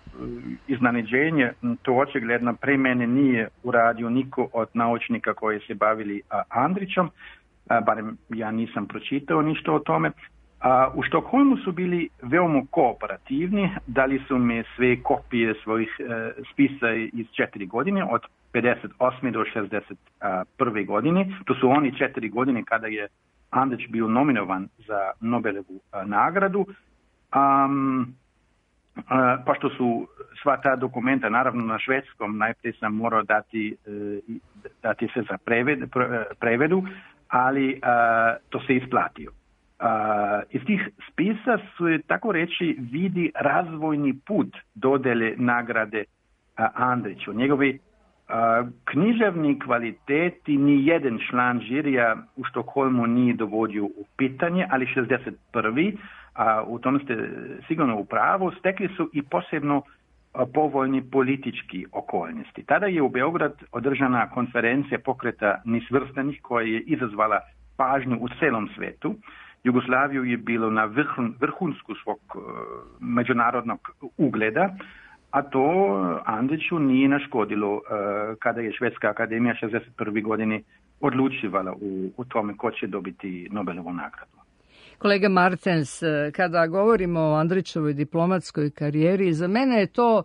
iznenađenje to očigledno pre mene nije uradio niko od naučnika koji se bavili Andrićom, barem ja nisam pročitao ništa o tome. U Štokholmu su bili veoma kooperativni, dali su mi sve kopije svojih spisa iz 4 godine, od 58. do 61. godine. To su oni 4 godine kada je Andrić bio nominovan za Nobelovu nagradu. Pošto su sva ta dokumenta naravno na švedskom, najprije sam morao dati se za prevedu, ali to se isplatio. Iz tih spisa su, tako reći, vidi razvojni put dodjele nagrade Andriću. Njegovi književni kvaliteti ni jedan član žirija u Štokholmu nije dovodio u pitanje, ali 61. U tom ste sigurno u pravu, stekli su i posebno povoljni politički okolnosti. Tada je u Beograd održana konferencija pokreta nesvrstanih koja je izazvala pažnju u celom svetu. Jugoslaviju je bilo na vrhunsku svog međunarodnog ugleda, a to Andriću nije naškodilo kada je Švedska akademija 61. godine odlučivala u tome ko će dobiti Nobelovu nagradu. Kolega Martens, kada govorimo o Andrićevoj diplomatskoj karijeri, za mene je to,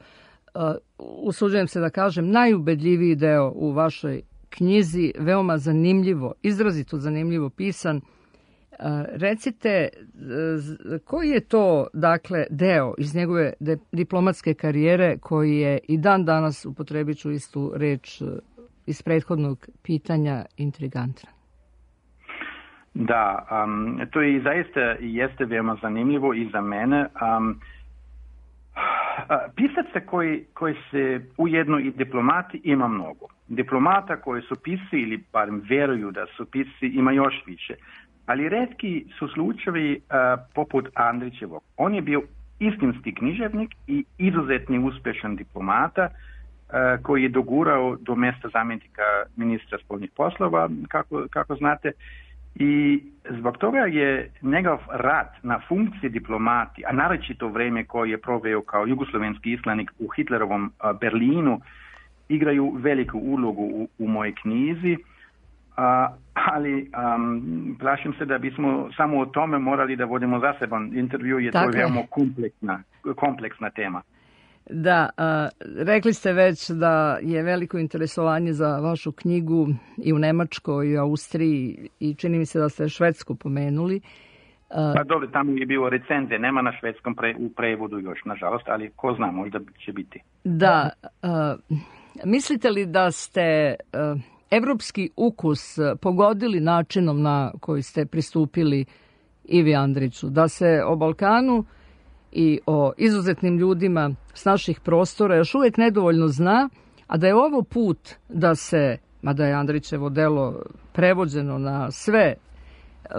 usuđujem se da kažem, najubedljiviji deo u vašoj knjizi, veoma zanimljivo, izrazito zanimljivo pisan. Recite, koji je to, dakle, deo iz njegove diplomatske karijere koji je i dan danas, upotrebit ću istu reč iz prethodnog pitanja, intrigantna? Da, to i zaista jeste veoma zanimljivo i za mene. Pisaca koji se ujedno i diplomati ima mnogo. Diplomata koji su pisci ili barem vjeruju da su pisci ima još više. Ali retki su slučajevi poput Andrićevog. On je bio istinski književnik i izuzetni uspješan diplomata koji je dogurao do mjesta zamjenika ministra spoljnih poslova, kako znate. I zbog toga je njegov rad na funkciji diplomati, a naročito vrijeme koje je proveo kao jugoslovenski islanik u Hitlerovom Berlinu, igraju veliku ulogu u mojoj knjizi. Ali plašim se da bismo samo o tome morali da vodimo zaseban intervju, jer to je veoma kompleksna tema. Da, rekli ste već da je veliko interesovanje za vašu knjigu i u Nemačkoj, i u Austriji, i čini mi se da ste Švedsku pomenuli. Pa dobro, tamo je bilo recenzije, nema na švedskom u prevodu još, nažalost, ali ko zna, možda će biti. Da, mislite li da ste evropski ukus pogodili načinom na koji ste pristupili Ivi Andriću, da se o Balkanu i o izuzetnim ljudima s naših prostora još uvijek nedovoljno zna, a da je ovo put da se, mada je Andrićevo delo prevođeno na sve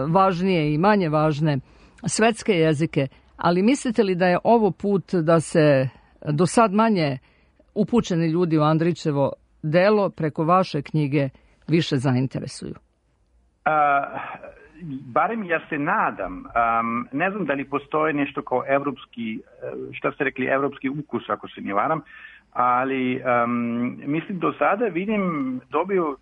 važnije i manje važne svetske jezike, ali mislite li da je ovo put da se do sad manje upućeni ljudi u Andrićevo delo preko vaše knjige više zainteresuju? Barem ja se nadam. Ne znam da li postoji nešto kao evropski, šta ste rekli, evropski ukus, ako se ne varam, ali mislim do sada vidim,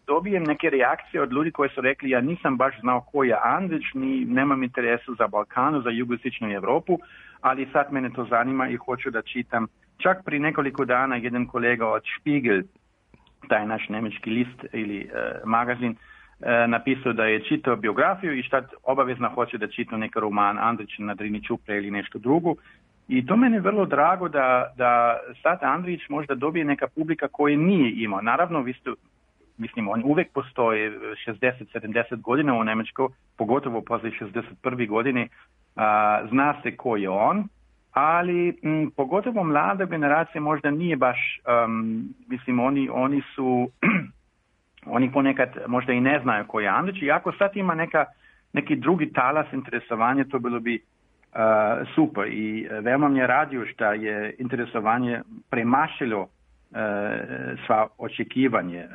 dobijem neke reakcije od ljudi koji su rekli ja nisam baš znao ko je Andrić, nemam interesu za Balkanu, za jugoistočnu Europu, ali sad mene to zanima i hoću da čitam. Čak pri nekoliko dana jedan kolega od Spiegel, taj naš njemački list ili magazin, napisao da je čitao biografiju i šta obavezno hoće da čita neki roman Andrić na Drini Čupre ili nešto drugo. I to meni je vrlo drago da sad Andrić možda dobije neka publika koji nije imao. Naravno, mislim, on uvek postoji 60-70 godina u Njemačkoj, pogotovo poslije 61. godine, zna se ko je on, ali pogotovo mlada generacija možda nije baš, mislim, oni su... Oni ponekad možda i ne znaju ko je Andrić i ako sad ima neki drugi talas interesovanja, to bilo bi super. I veoma mě radio što je interesovanje premašilo sva očekivanje.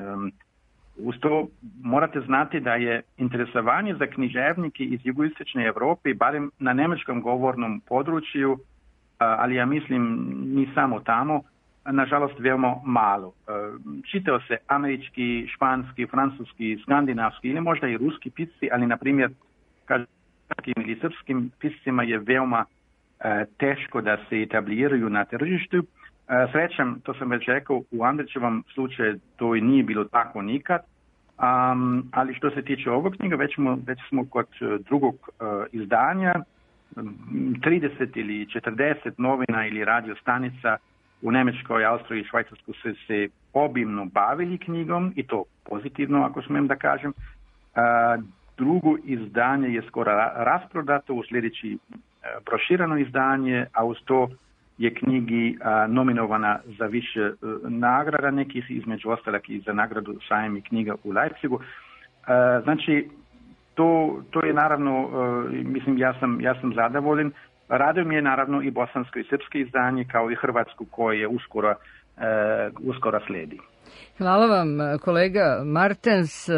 Uz to morate znati da je interesovanje za književnike iz jugoistočne Europe, barem na njemačkom govornom području, ali ja mislim ni samo tamo, nažalost veoma malo. Čitao se američki, španski, francuski, skandinavski ili možda i ruski pisci, ali na primjer ili srpskim piscima je veoma teško da se etabliraju na tržištu. Srećam, to sam već rekao, u Andrićevom slučaju to i nije bilo tako nikad, ali što se tiče ovog knjiga, već smo kod drugog izdanja, 30 ili 40 novina ili radio stanica u Njemačkoj, Austriji i Švajcarskoj su se obimno bavili knjigom i to pozitivno, ako smijem da kažem. Drugo izdanje je skoro rasprodato, u sljedeći prošireno izdanje, a uz to je knjigi nominovana za više nagrada, nekih između ostalog i za nagradu Sajam i knjiga u Leipzigu. Znači, to je naravno, mislim, ja sam zadovoljen. Raduje mi je naravno i bosansko i srpsko izdanje, kao i hrvatsko koje je uskoro slijedi. Hvala vam, kolega Martens.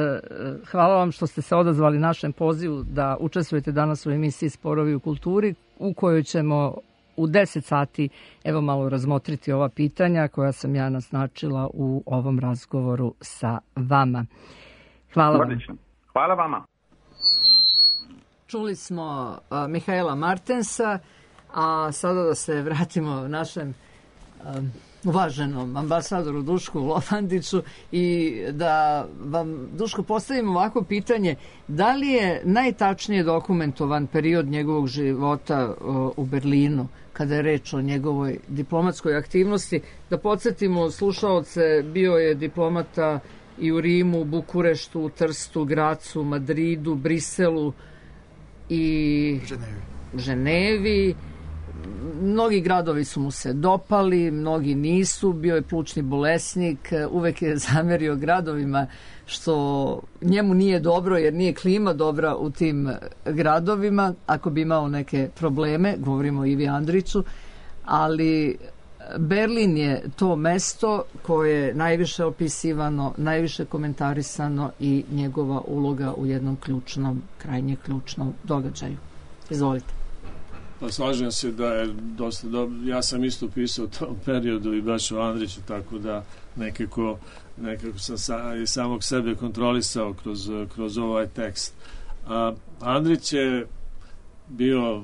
Hvala vam što ste se odazvali našem pozivu da učestvujete danas u emisiji Sporovi u kulturi, u kojoj ćemo u 10 sati evo malo razmotriti ova pitanja koja sam ja naznačila u ovom razgovoru sa vama. Hvala vam. Hvala vama. Čuli smo Mihaela Martensa, a sada da se vratimo našem uvaženom ambasadoru Dušku Lopandiću i da vam, Duško, postavim ovako pitanje. Da li je najtačnije dokumentovan period njegovog života u Berlinu, kada je reč o njegovoj diplomatskoj aktivnosti? Da podsjetimo slušaoce, bio je diplomata i u Rimu, Bukureštu, Trstu, Gracu, Madridu, Briselu i Ženevi. Mnogi gradovi su mu se dopali, mnogi nisu. Bio je plućni bolesnik, uvek je zamerio gradovima što njemu nije dobro jer nije klima dobra u tim gradovima. Ako bi imao neke probleme, govorimo o Ivi Andriću, ali Berlin je to mesto koje je najviše opisivano, najviše komentarisano i njegova uloga u jednom ključnom, krajnje ključnom događaju. Izvolite. Pa slažem se da je dosta dobro. Ja sam isto pisao u tom periodu i baš o Andriću, tako da nekako sam i samog sebe kontrolisao kroz ovaj tekst. Andrić je bio,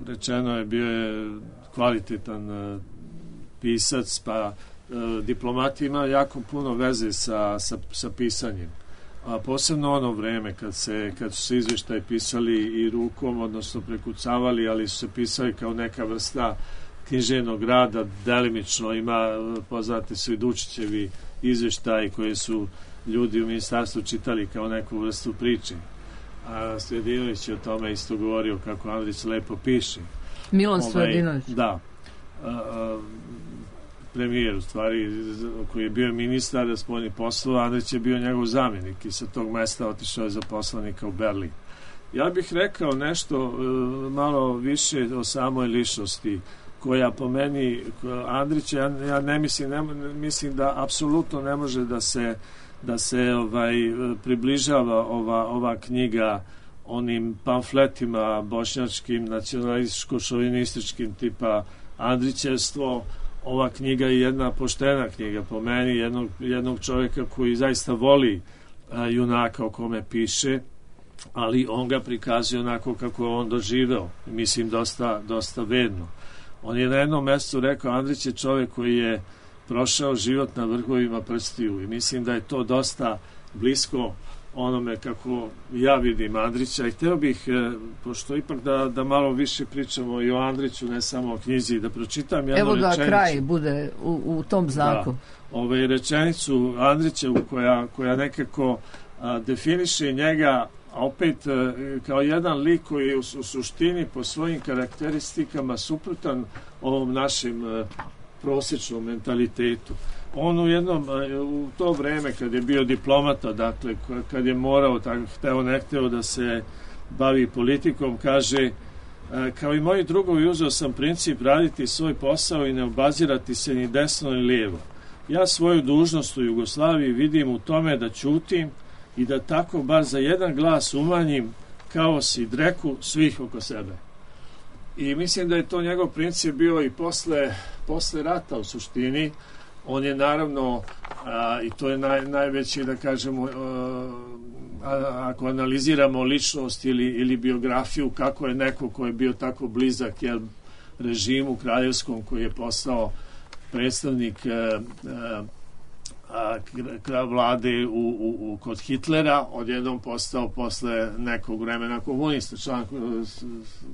rečeno je, bio je kvalitetan pisac, pa diplomat ima jako puno veze sa pisanjem. A posebno ono vreme kad su se izvještaji pisali i rukom, odnosno prekucavali, ali su se pisali kao neka vrsta književnog rada, delimično ima, poznati su i Dučićevi izvještaji koje su ljudi u ministarstvu čitali kao neku vrstu priče. A Stojadinović je o tome isto govorio kako Andrić lepo piše. Milan Stojadinović. Da. Premijer, u stvari, koji je bio ministar spoljnih poslova, Andrić je bio njegov zamjenik i sa tog mesta otišao je za poslanika u Berlin. Ja bih rekao nešto malo više o samoj ličnosti, koja po meni, Andrić, ja ne mislim da apsolutno ne može da se približava ova knjiga onim pamfletima bošnjačkim, nacionalističko-šovinističkim tipa Andrićevstvo. Ova knjiga je jedna poštena knjiga po meni, jednog čovjeka koji zaista voli junaka o kome piše, ali on ga prikazuje onako kako on doživeo, mislim dosta vedno. On je na jednom mjestu rekao, Andrić je čovjek koji je prošao život na vrhovima prstiju i mislim da je to dosta blisko onome kako ja vidim Andrića i htio bih, pošto ipak da malo više pričamo i o Andriću, ne samo o knjizi, da pročitam jednu rečenicu. Evo da kraj bude u tom znaku. Da, rečenicu Andrićevu koja nekako definiše njega, a opet kao jedan lik koji je u suštini po svojim karakteristikama suprotan ovom našem prosječnom mentalitetu. On u to vreme kad je bio diplomata, dakle kad je morao, hteo ne hteo da se bavi politikom, kaže, kao i moji drugovi uzeo sam princip raditi svoj posao i ne obazirati se ni desno ni lijevo. Ja svoju dužnost u Jugoslaviji vidim u tome da ćutim i da tako bar za jedan glas umanjim kaos i dreku svih oko sebe. I mislim da je to njegov princip bio i posle rata u suštini. On je naravno, i to je najveći, da kažemo, ako analiziramo ličnost ili biografiju, kako je neko ko je bio tako blizak režimu kraljevskom, koji je postao predstavnik vlade kod Hitlera, odjednom postao posle nekog vremena komunista, član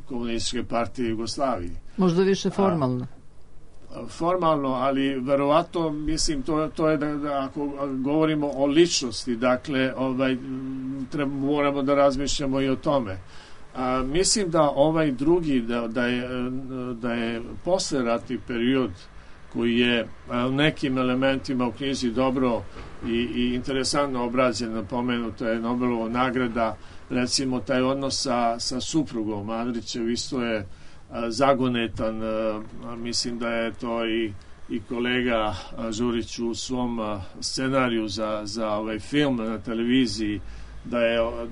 komunističke partije Jugoslavije. Možda više formalno. Formalno, ali verovatno, mislim, to je da ako govorimo o ličnosti, dakle, moramo da razmišljamo i o tome. Mislim da ovaj drugi, da je posleratni period koji je u nekim elementima u knjizi dobro i interesantno obrađen, napomenuta je Nobelova nagrada, recimo taj odnos sa suprugom Andrićev isto je zagonetan, mislim da je to i kolega Žurić u svom scenariju za ovaj film na televiziji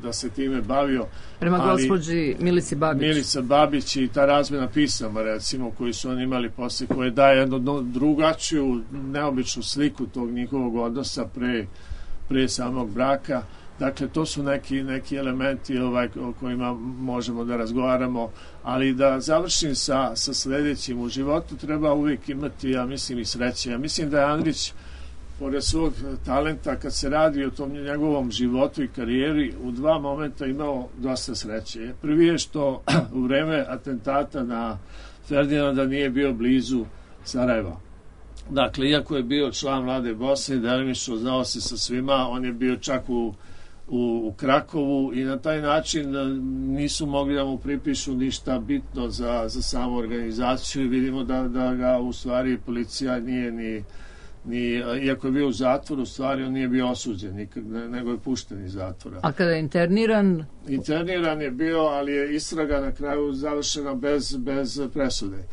da se time bavio. Prema gospođi Milici Babić. Milica Babić i ta razmjena pisama, recimo, koji su oni imali posle, koje daje jednu drugačiju, neobičnu sliku tog njihovog odnosa pre samog braka. Dakle, to su neki elementi o kojima možemo da razgovaramo, ali da završim sa sljedećim. U životu treba uvijek imati, ja mislim, i sreće. Ja mislim da je Andrić, pored svog talenta, kad se radi o tom njegovom životu i karijeri, u dva momenta imao dosta sreće. Prvi je što u vreme atentata na Ferdinanda nije bio blizu Sarajeva. Dakle, iako je bio član Mlade Bosne, delimično znao se sa svima, on je bio čak u Krakovu i na taj način nisu mogli da mu pripišu ništa bitno za samu organizaciju i vidimo da ga u stvari policija nije iako je bio u zatvoru, u stvari on nije bio osuđen nego je pušten iz zatvora. A kada je interniran? Interniran je bio, ali je istraga na kraju završena bez presude.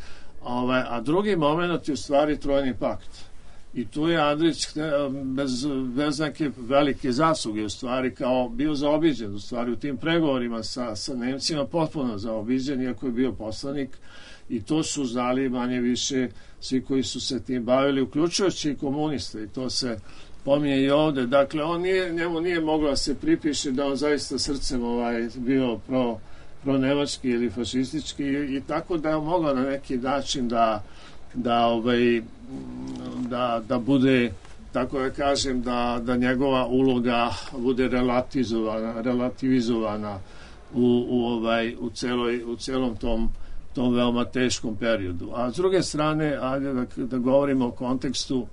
A drugi moment je u stvari Trojni pakt. I tu je Andrić bez neke velike zasluge u stvari kao bio zaobiđen u stvari u tim pregovorima sa Nemcima, potpuno zaobiđen, iako je bio poslanik, i to su znali manje više svi koji su se tim bavili, uključujući i komuniste, i to se pominje i ovde. Dakle, njemu nije moglo da se pripiše da on zaista srcem bio pro nemački ili fašistički, i tako da je mogao na neki način da bude, tako da kažem, da njegova uloga bude relativizovana u celom tom veoma teškom periodu. A s druge strane, ajde da govorimo o kontekstu.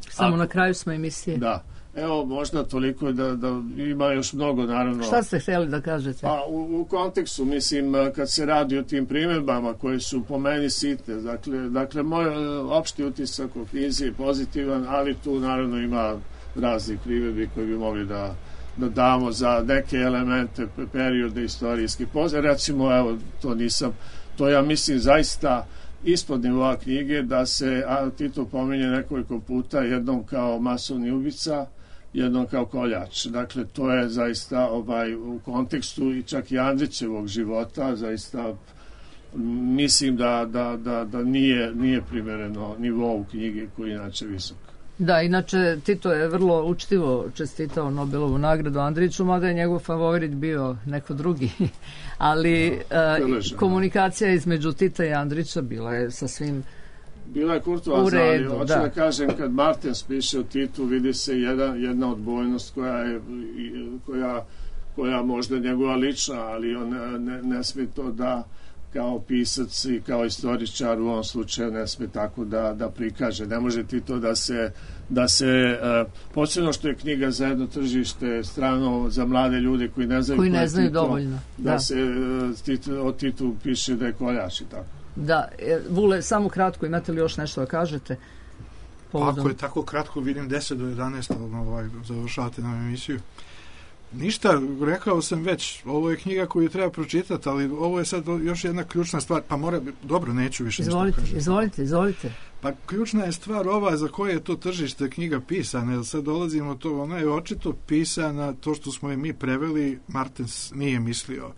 Samo na kraju smo emisije. Da. Evo, možda toliko da ima još mnogo, naravno. Šta ste htjeli da kažete? Pa, u kontekstu, mislim, kad se radi o tim primjedbama koje su po meni sitne, dakle moj opšti utisak o knjizi je pozitivan, ali tu naravno ima raznih primjedbi koje bi mogli da damo za neke elemente periode istorijske. Recimo, evo, to ja mislim zaista ispod nivoa knjige, da se Tito pominje nekoliko puta, jednom kao masovni ubica, jednom kao koljač. Dakle, to je zaista u kontekstu i čak i Andrićevog života, zaista mislim da nije primereno nivou knjige koji je inače visok. Da, inače Tito je vrlo učtivo čestitao Nobelovu nagradu Andriću, mada je njegov favorit bio neko drugi, ali komunikacija između Tita i Andrića bila je sasvim bila je kurtoazna, ali hoću da kažem, kad Martens piše o Titu, vidi se jedna odbojnost koja možda je njegova lična, ali on ne smije to da kao pisac i kao istoričar u ovom slučaju ne smije tako da prikaže. Ne može Tito da se posebno što je knjiga za jedno tržište strano za mlade ljude koji ne znaju Tito, dovoljno. Da se o Titu piše da je koljač i tako. Da, Vule, samo kratko, imate li još nešto da kažete? Ako je tako kratko, vidim 10 do 11, završavate nam emisiju. Ništa, rekao sam već, ovo je knjiga koju treba pročitati, ali ovo je sad još jedna ključna stvar, pa dobro, neću više ništa kažem. Izvolite. Pa ključna je stvar ova za koje je to tržište knjiga pisana, jer sad dolazimo to, ona je očito pisana, to što smo je mi preveli, Martens nije mislio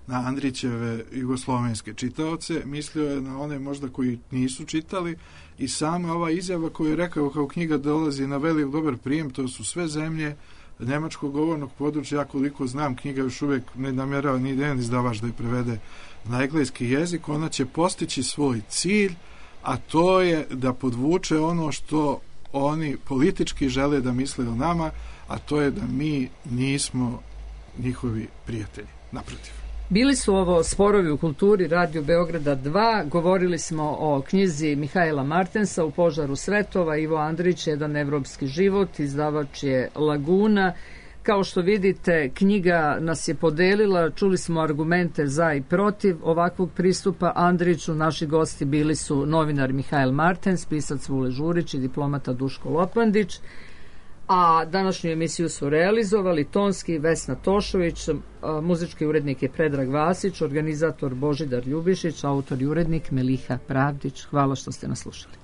na Andrićeve jugoslovenske čitaoce, mislio je na one možda koji nisu čitali, i sama ova izjava koju je rekao kao knjiga dolazi na velik dobar prijem, to su sve zemlje njemačkog govornog područja. Ja koliko znam, knjiga još uvijek ne namjerava ni jedan izdavač da je prevede na engleski jezik. Ona će postići svoj cilj, a to je da podvuče ono što oni politički žele da misle o nama, a to je da mi nismo njihovi prijatelji. Naprotiv. Bili su ovo Sporovi u kulturi Radio Beograda 2. Govorili smo o knjizi Mihaela Martensa U požaru svetova. Ivo Andrić, Jedan evropski život. Izdavač je Laguna. Kao što vidite, knjiga nas je podelila. Čuli smo argumente za i protiv ovakvog pristupa Andriću. Naši gosti bili su novinar Mihael Martens, pisac Vule Žurić i diplomata Duško Lopandić. A današnju emisiju su realizovali tonski Vesna Tošović, muzički urednik je Predrag Vasić, organizator Božidar Ljubišić, autor i urednik Meliha Pravdić. Hvala što ste nas slušali.